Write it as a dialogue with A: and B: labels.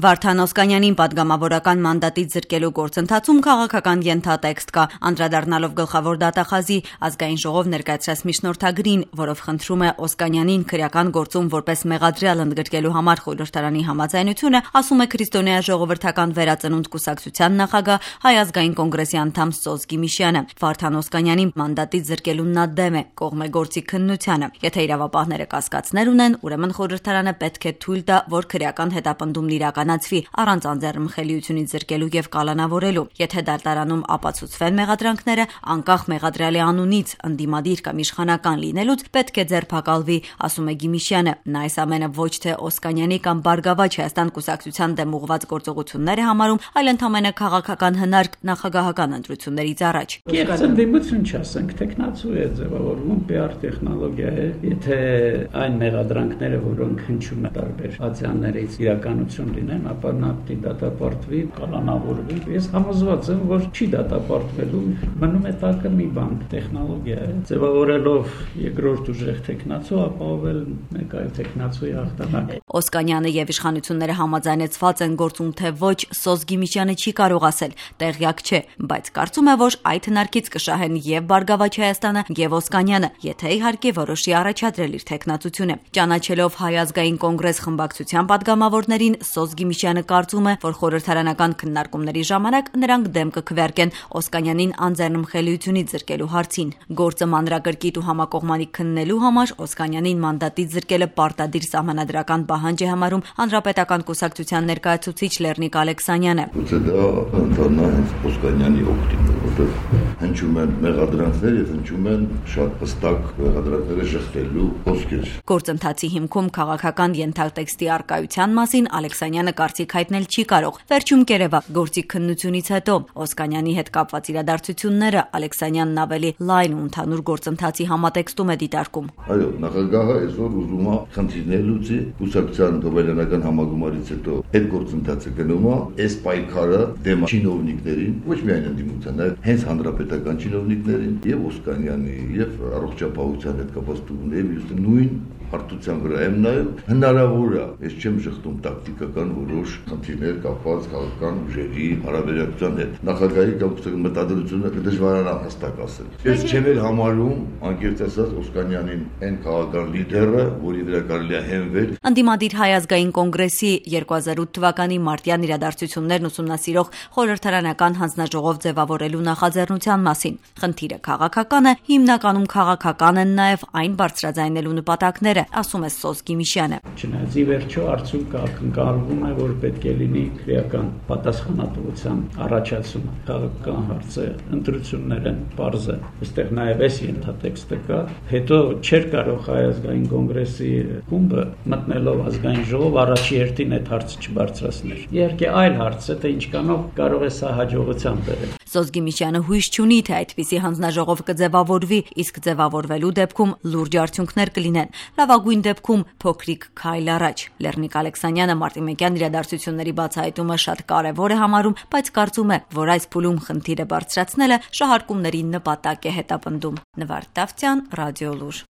A: Վարդան Օսկանյանին պատգամավորական մանդատից զրկելու գործընթացում քաղաքական ենթատեքստ կա, անդրադառնալով գլխավոր դատախազի ազգային ժողով ներկայացրած միջնորդագրին, որով խնդրում է Օսկանյանին քրեական գործում որպես մեղադրյալ ընդգրկելու համար խորհրդարանի համաձայնությունը, ասում է Քրիստոնյա ժողովրդական վերածնունդ կուսակցության նախագահ Հայ ազգային կոնգրեսի անդամ Սոզ Գիմիշյանը։ Վարդան Օսկանյանին մանդատից զրկելուն նա դեմ է, կողմ է գործի քննությանը։ Եթե իրավապահները կասկածներ ունեն, ուրեմն խորհրդարանը պետք է թույլ տա, որ քրեական հետապնդումն իրականացվի առանց անձեռնմխելիությունից զրկելու եւ կալանավորելու։ Եթե դատարանում ապացուցվեն մեղադրանքները, անկախ մեղադրյալի անունից, ընդդիմադիր կամ իշխանական լինելուց, պետք է ձերբակալվի, ասում է Գիմիշյանը։ Նա այս ամենը ոչ թե Օսկանյանի կամ Բարգավաճ Հայաստան կուսակցության դեմ ուղղված գործողություններ է համարում, այլ ընդհանրապես քաղաքական հնարք նախագահական ընտրություններից առաջ։
B: Դիմություն չասենք, տեխնացու է ձևավորվում, PR տեխնոլոգիա է։ Եթե այն մեղադրանքները, որոնք հնչում են տարբեր ացիաներից իրականություն լինեն, ապա նա պետք է դատապարտվի, կալանավորվի։ Ես համոզված եմ, որ չի դատապարտվելու, մնում է տակը մի բան, տեխնոլոգիա է։ Ձևավորելով երկրորդ ուժեղ տեխնացու, ապահովել մեկ այլ տեխնացուի հաղթանակ։
A: Օսկանյանը եւ իշխանությունները համաձայնեցված են գործում, թե ոչ, Սոզ Գիմիշյանը չի կարող ասել, տեղյակ չէ, բայց կարծում է, որ այդ հնարքից կշահեն եւ Բարգավաճ Հայաստանը եւ Օսկանյանը, եթե իհարկե որոշի առաջադրել իր տեխնացությունը։ Ճանաչելով Հայ ազգային կոնգրես խմբակցության պատգամավորներին, Սոզ Գիմիշյանը կարծում է, որ խորհրդարանական քննարկումների ժամանակ նրանք դեմ կքվեարկեն Օսկանյանին անձեռնմխելիությունից զրկելու հարցին։ Գործը մանրակրկիտ ու համակողմանի քննելու համար Օսկանյանին մանդատից զրկելը պարտադիր սահմանադրական պահանջ է համարում Հանրապետական կուսակցության ներկայացուցիչ Լեռնիկ Ալեքսանյանը։
C: Գուցե դա ընդհանրապես Օսկանյանի օգտին է, որտեղ հնչում են մեղադրանքներ եւ հնչում են շատ հստակ մեղադրանքները շղթելու խոսքեր։
A: Գործընթացի հիմքում քաղաքական ենթատեքստի արկայության մասին Ալեքսանյանը կարծիք հայտնել չի կարող։ Վերջում կերևա գործի քննությունից հետո Օսկանյանի հետ կապված իրադարձությունները Ալեքսանյանն ավելի լայն ու ընդհանուր գործընթացի համատեքստում է դիտարկում։
C: Այո, նախագահը այսօր ուզում է խնդիրներ լուծի, կուսակցության դոբելյանական համագումարից հետո այդ գործընթացը գնում է, այս պայքարը դեմ չինովնիկներին, ոչ միայն ընդդիմության, այլ հենց հանրապետական չինովնիկներին եւ Օսկանյանի եւ առողջապահության հետ կապված տուգունների նույն հարթության վրա եմ նայում, հնարավոր է, ես չեմ շղթում տակտիկական որոշ խնդիրներ կապված քաղաքական ուժերի հարաբերակցության հետ։ Նախագահի կամ կուսակցության մտադրությունը դժվարանա հստակ ասել։ Ես չեմ էլ համարում, անկեղծ ասած, Օսկանյանին այն քաղաքական լիդերը, որի վրա կարելի է հենվել։
A: Ընդդիմադիր Հայ ազգային կոնգրեսի 2008 թվականի մարտյան իրադարձություններն ուսումնասիրող խորհրդարանական հանձնաժողով ձևավորելու նախաձեռնության մասին։ Խնդիրը քաղաքական է, հիմնականում քաղաքական են նաև այն բարձրաձայնելու նպատակները, ասում է Սոզ Գիմիշյանը։
B: Չնայած ի վերջո արդյունքը ակնկալվում է, որ պետք է լինի քրեական պատասխանատվության առաջացումը։ Քաղաքական հարցը ընտրություններ են, պարզ է։ Այստեղ նաև այս ենթատեքստը կա։ Հետո չէր կարող Հայ ազգային կոնգրեսի խումբը մտնելով ազգային ժողով առաջի հերթին այդ հարցը չբարձրացներ։ Իհարկե այլ հարց է, թե ինչքանով կարող է սա հաջողության բերել։
A: Սոզ Գիմիշյանը հույս չունի, թե այդպիսի հանձնաժողով կձևավորվի, իսկ ձևավորվելու դեպքում լուրջ արդյունքներ կլինեն։ Լավագույն դեպքում փոքրիկ քայլ առաջ։ Լեռնիկ Ալեքսանյանը մարտիմեկյան իրադարձությունների բացահայտումը շատ կարևոր է համարում, բայց կարծում է, որ այս փուլում խնդիրը բարձրացնելը շահարկումների նպատակ է հետապնդում։ Նվարդ Տավթյան, Ռադիոլուր։